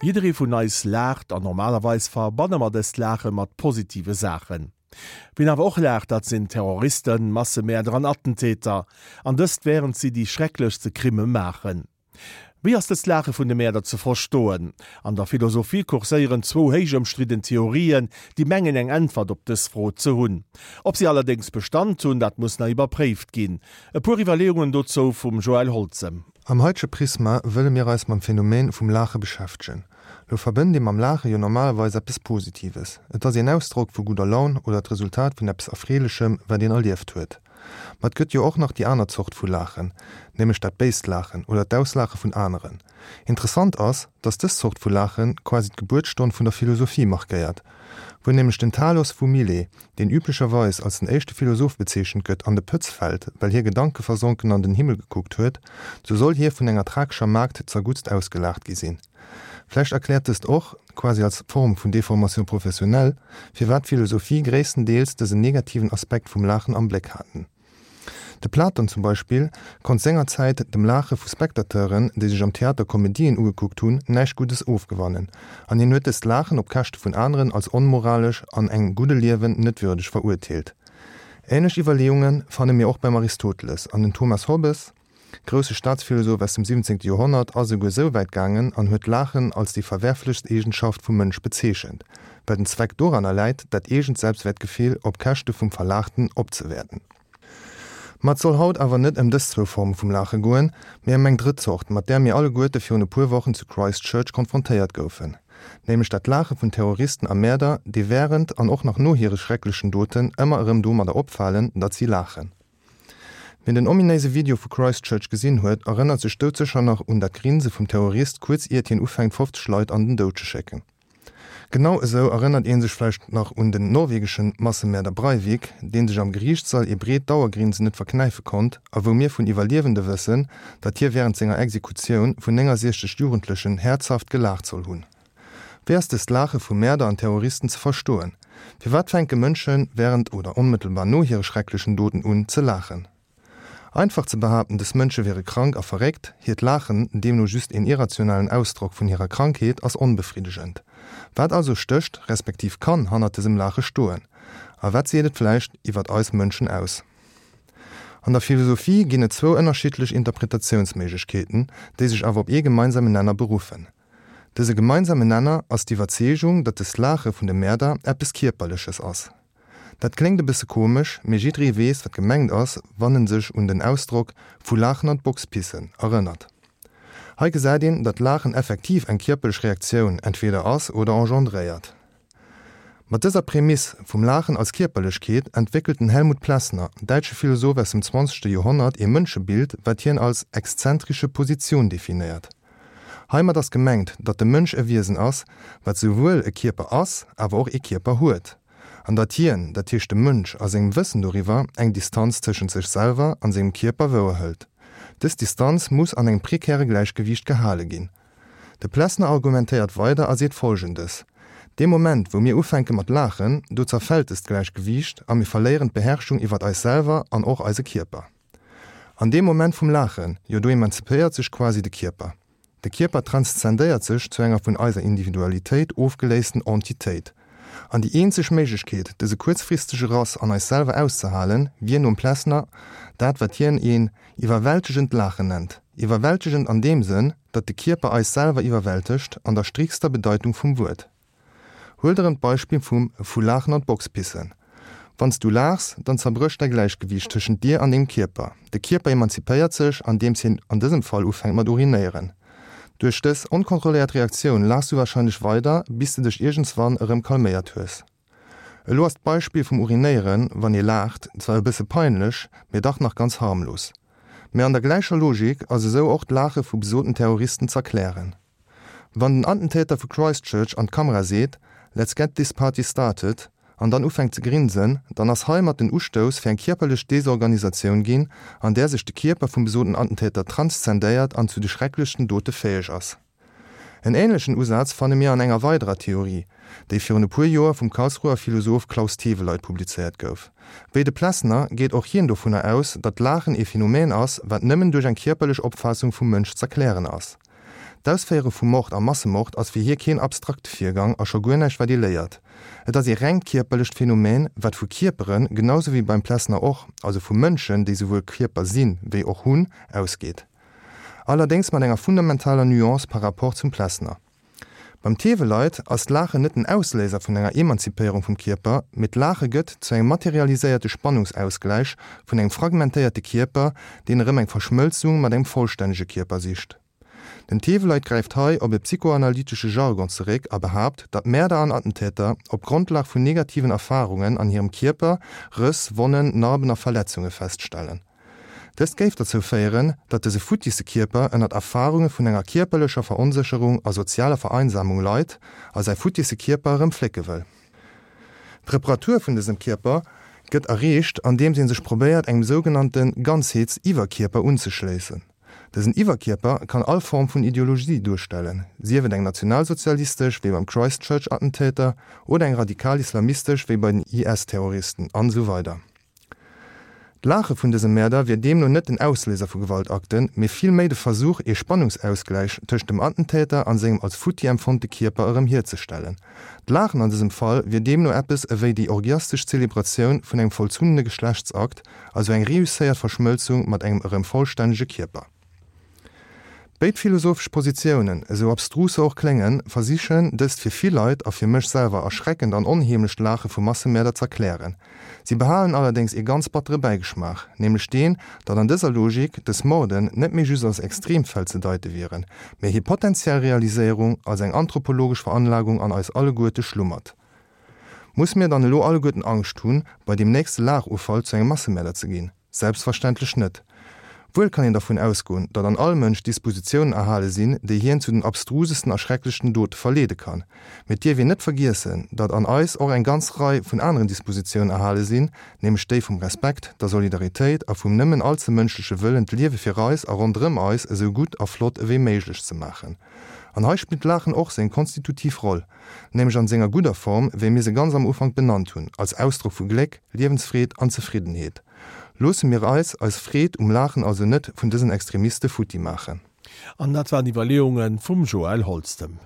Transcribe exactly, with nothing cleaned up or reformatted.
Jidderee vun eis laacht an normalerweis verbanne mer dëst Laache mat positive Saachen. Wien awer och laacht, dat sinn Terroristen, Massemäerder an Attentäter, an dëst wärend si déi schrecklechste Crimme maachen. Wéi ass dëst Laache vun de Mäerder ze verstoen? An der Philosophie kurséieren zwou héich ëmstridden Theorien, déi mengen eng Äntwert op dës Fro ze hunn. Ob si allerdéngs Bestand hunn, dat muss nach iwwerpréift ginn. E puer Iwwerleeungen dozou vum Joël Holzem. Am haitege Prisma wëlle mir eis mam Phänomen vum Laache beschäftegen. Lo verbënnt ee mam Laache jo normalerweis eppes Positives. Et ass een Ausdrock vu gudder Laun oder d'Resultat vun eppes Erfreelechem, wat een erlieft huet. Ma et gëtt jo och nach déi aner Zort vu Laachen, nämlech dat béist Laachen oder d'Auslaache vun aneren. Interessant ass, dass dës Zort vu Laache quasi d'Gebuertsstonn vun der Philosophie markéiert. Wou nämlech den Thalos vu Milet, deen üblecherweis als den éischte Philosoph bezeechent gëtt, an de Pëtz fält, well hie gedankeversonken an den Himmel gekuckt huet, sou soll hie vun enger thrakescher Maagd zerguttst ausgelaacht gi sinn. Vläicht erkläert dëst och, quasi als Form vun Déformation professionnelle, firwat d'Philosophie gréisstendeels dësen negativen Aspekt vum Laachen am Bléck haten. De Platon zum Beispill konnt sengerzäit dem Laache vu Spectateuren, déi sech am Theater Komedien ugekuckt hunn, näischt Guddes ofgewannen, an hien huet dëst Laachen op Käschte vun aneren als onmoralesch an engem gudde Liewen net würdeg verurteelt. Änlech Iwwerleeunge fanne mir och beim Aristoteles, an den Thomas Hobbes, grousse Staatsphilosoph aus dem siwwenzéngte Joerhonnert, ass esouguer esou wäit gaangen an huet d'Laachen als déi verwerflechst Eegenschaft vum Mënsch bezeechent, well den Zweck doranner läit, dat eegent Selbstwäertgefill op Käschte vum Verlaachten opzewäerten. Ma et soll haut awer net ëm dës zwou Forme vum Laache goen, mee ëm eng drëtt Zort, mat där mir alleguerte virun e puer Wochen zu Christchurch konfrontéiert goufen, nämlech dat Laache vun Terroristen a Mäerder, déi wärend an och nach no hire schrecklechen Doten ëmmer erëm domadder opfalen, datt si laachen. Wien den ominéise Video vu Christchurch gesinn huet, erënnert sech doudsécher nach un dat Grinse vum Terrorist kuerz iert hien ufänkt fofzeg Leit an den Doud ze schécken. Genau esou erënnert ee sech vläicht nach un den norwegesche Massemäerder Breivik, dee sech am Geriichtssall ee breet Dauergrinsen net verknäife konnt a wou mir vun Iwwerliewende wëssen, datt hie wärend senger Exekutioun vun néngasiechzeg Jugendlechen häerzhaft gelaacht soll hunn. Wéi ass dëst Laache vu Mäerder an Terroristen ze verstoen? Firwat fänke Mënsche wärend oder onmëttelbar no hire schrecklechen Doten un ze laachen? Einfach ze behaapten, dës Mënsche wiere krank a verréckt, hiert Laachen deemno just een irrationalen Ausdrock vun hirer Krankheet, ass onbefriddegend. Wat also stécht, respektiv kann hannert dësem Laache stoen? A wat seet et vläicht iwwert eis Mënschen aus? An der Philosophie ginn et zwou ënnerschiddlech Interpretatiounsméiglechkeeten, déi sech awer op ee gemeinsamen Nenner beruffen. Dëse gemeinsamen Nenner ass d'Iwwerzeegung, datt dëst Laache vun de Mäerder eppes Kierperleches ass. Dat kléngt e bësse komesch, mee jidderee weess, wat gemengt ass, wann en sech un den Ausdrock vu Laachen an d'Box pissen erënnert. Hei gesäit een, datt Laachen effektiv eng kierperlech Reaktioun entweder ass oder engendréiert. Mat dëser Prämiss vum Laachen als Kierperlechkeet entwéckelt den Helmut Plessner, däitsche Philosoph aus dem zwanzegste Joerhonnert, ee Mënschebild, wat hien als exzentrische Position definéiert. Heimat ass gemengt, datt de Mënsch e Wiesen ass, wat souwuel e Kierper ass, awer och ee Kierper huet. An datt hien, dat heescht de Mënsch, a sengem Wëssen doriwwer, eng Distanz tëschent sech selwer an sengem Kierper wouerhëlt. Dës Distanz muss an engem prekäre Gläichgewiicht gehale ginn. De Plessner argumentéiert weider a seet Folgendes, Dee Moment, wou mir ufänke mat laachen, do zerfält dëst Gläichgewiicht a mir verléieren d'Beherrschung iwwert eis selwer an och eise Kierper. An deem Moment vum Laachen, jo do emanzipéiert sech quasi de Kierper. De Kierper transzendéiert sech zu enger vun eiser Individualitéit ofgeléisten Entitéit. An déi eenzeg Méiglechkeet, dëse kuerzfristege Rass an eis selwer auszehalen, wier nom Plessner dat, wat hien een iwwerwältegend Laachen nennt. Iwwerwältegend an deem Sënn, datt de Kierper eis selwer iwwerwältegt, an der striktster Bedeitung vum Wuert. Huelt erëm d'Beispill vum vu Laachen an d'Box pissen. Wann s du laachs, dann zerbrécht däi Gläichgewiicht tëschent dir an dengem Kierper. De Kierper emanzipéiert sech, andeems hien an dësem Fall ufänkt mat urinéieren. Duerch dës onkontrolléiert Reaktioun laachs du warscheinlech weider, bis de dech iergendswann erëm calméiert hues. Elo ass d'Beispill vum Urinéieren, wann ee laacht, zwar e bësse peinlech, mee dach nach ganz harmlos. Mee an der gläicher Logik ass esou och d'Laache vu besoten Terroristen z'erklären. Wann den Attentäter vu Christchurch an d'Kamera seet, Let's get this party started an dann ufänkt ze grinsen, dann ass heimat den Ustouss fir eng kierperlech Desorganisatioun ginn, an där sech de Kierper vum besoten Attentäter transzendéiert an zu de schrecklechsten Dote fäeg ass. En änlechen Usaz fanne mir an enger weiderer Theorie, déi virun e puer Joer vum Karlsruher Philosoph Klaus Theweleit publizéiert gouf. Wéi de Plessner geet och hien dovunner aus, datt d'Laachen ee Phänomen ass, wat nëmmen duerch eng kierperlech Opfaassung vum Mënsch z'erklären ass. D'Ausféiere vu Mord a Massemord ass fir hie keen abstrakte Virgang a scho guer näischt wat ee léiert. Et ass ee rengt kierperlecht Phänomen, wat vu Kierperen, genau sou wéi beim Plessner och, also vu Mënschen, déi souwuel Kierper sinn, wéi och hunn, ausgeet. Allerdéngs mat enger fundamentaler Nuance par rapport zum Plessner. Beim Theweleit ass d'Laachen net den Ausléiser vun enger Emanzipéierung vum Kierper, mee d'Laache gëtt zu engem materialiséierte Spannungsausgläich vun engem fragmentéierte Kierper, deen erëm eng Verschmëlzung mat engem vollstännege Kierper sicht. Den Theweleit gräift hei op e psychoanalytesche Jargon zeréck a behaapt, datt Mäerder an Attentäter op Grondlag vun negativen Erfarungen an hirem Kierper Rëss, Wonnen, Narben a Verletzunge feststellen. Dëst géif dozou féieren, datt dëse futtisse Kierper ënnert Erfarunge vun enger kierperlecher Veronsécherung a sozialer Vereinsamung leit a säi futtisse Kierper erëm flécke wëll. D'Reparatur vun dësem Kierper gëtt erreecht, andeems ee sech probéiert engem sougenannte Ganzheets-Iwwerkierper unzeschléissen. Dësen Iwwerkierper kann all Form vun Ideologie duerstellen, sief et eng nationalsozialistesch wéi beim Christchurch-Attentäter oder eng radikal-islamistesch wéi bei den I S-Terroristen an esou weider. D'Laache vun dëse Mäerder wier deemno net den Ausléiser vu Gewaltakten, mee vill méi de Versuch, ee Spannungsausgläich tëscht dem Attentäter an sengem als futti empfonnte Kierper erëm hierzestellen. D'Laachen an dësem Fall wier deemno eppes ewéi déi orgiastesch Zelebratioun vun engem vollzunnene Geschlechtsakt, also eng reusséiert Verschmëlzung mat engem erëm vollstännege Kierper. Béid philosophesch Positiounen, esou abstrus se och kléngen, versichen, dëst fir vill Leit a fir mech selwer erschreckend an onheemlecht Laache vu Massemäerder z'erklären. Si behalen allerdéngs ee ganz battere Bäigeschmaach, nämlech deen, datt an dëser Logik dës Morden net méi just als Extremfäll ze deite wieren, mä hir potentiell Realiséierung als eng anthropologesch Veranlagung an eis alleguerte schlummert. Musse mir dann elo alleguerten Angscht hunn, bei deem nächste Laachufall zu engem Massemäerder ze ginn? Selbstverständlech net. Wuel kann een dervun ausgoen, datt an all Mënsch Dispositiounen erhale sinn, déi hien zu den abstrusesten a schrecklechten Dote verleede kann. Mee et dierf een net vergiessen, datt an eis och eng ganz Rei vun aneren Dispositiounen erhale sinn, nämlech déi vum Respekt, der Solidaritéit a vum nëmmen allze mënschleche Wëllen, d'Liewe fir eis a ronderëm eis esou gutt a flott ewéi méiglech ze maachen. An hei spillt d'Laachen och seng konstitutiv Roll, nämlech an senger gudder Form, wéi mir se ganz am Ufank benannt hunn, als Ausdrock vu Gléck, Liewensfreed an Zefriddenheet. Loosse mir eis eis Freed um Laachen also net vun dësen Extremiste futti maachen. An dat waren Iwwerleeunge vum Joël Holztem.